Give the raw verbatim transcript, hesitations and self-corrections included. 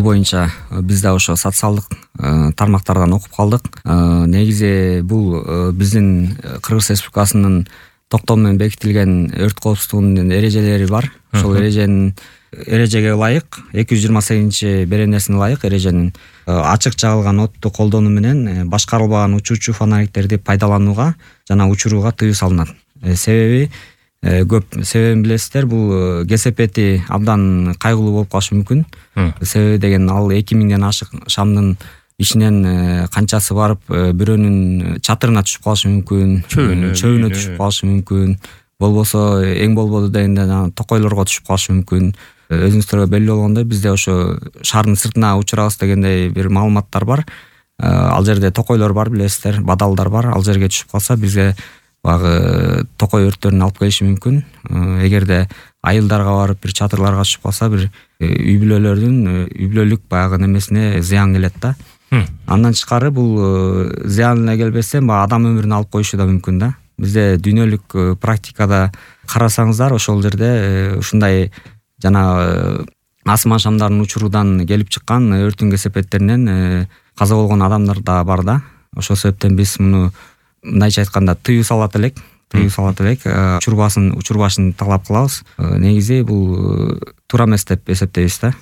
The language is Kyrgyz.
бул боюнча биз да ошо социалдык тармактардан окуп калдык. Негизи бул биздин Кыргыз Республикасынын токтом менен бекитилген өрт коопсуздугунун эрежелери бар. Ошол эреженин эрежеге ылайык эки жүз жыйырма сегизинчи беренесине ылайык эреженин ачык жагылган отту колдонуу менен башкарылбаган учуучу фонариктерди пайдаланууга жана учурууга тыюу салынат. Себеби көп себебин билесиздер, бул кесепети абдан кайгылуу болуп калышы мүмкүн. Себеби деген ал эки миңден ашык шамдын ичинен канчасы барып бирөөнүн чатырына түшүп калышы мүмкүн, чөбүнө түшүп калышы мүмкүн, болбосо эң болбоду дегенде токойлорго түшүп калышы мүмкүн. Өзүңүздөргө белгилүү болгондой, бизде ошо шаардын сыртына учурабыз дегендей бир маалыматтар бар. Ал жерде токойлор бар, билесиздер, бадалдар бар. Ал жерге түшүп калса бизге багы токой өрттөрүн алып келиши мүмкүн. Эгерде айылдарга барып бир чатырларга түшүп калса, бир үй бүлөлөрдүн үй бүлөлүк баягы немесине зыян келет да. Андан тышкары бул зыян эле келбестен баягы адам өмүрүн алып коюшу да мүмкүн да. Бизде дүйнөлүк практикада карасаңыздар, ошол жерде ушундай жана асман шамдарын учуруудан келип чыккан өрттүн кесепеттеринен каза болгон адамдар да бар да. Ошол себептен биз муну мындайча айтканда тыюу салат элек, тыюу салат элек, учурбасын, учурбашын талап кылабыз. Негизи бул туура эмес деп эсептейбиз да.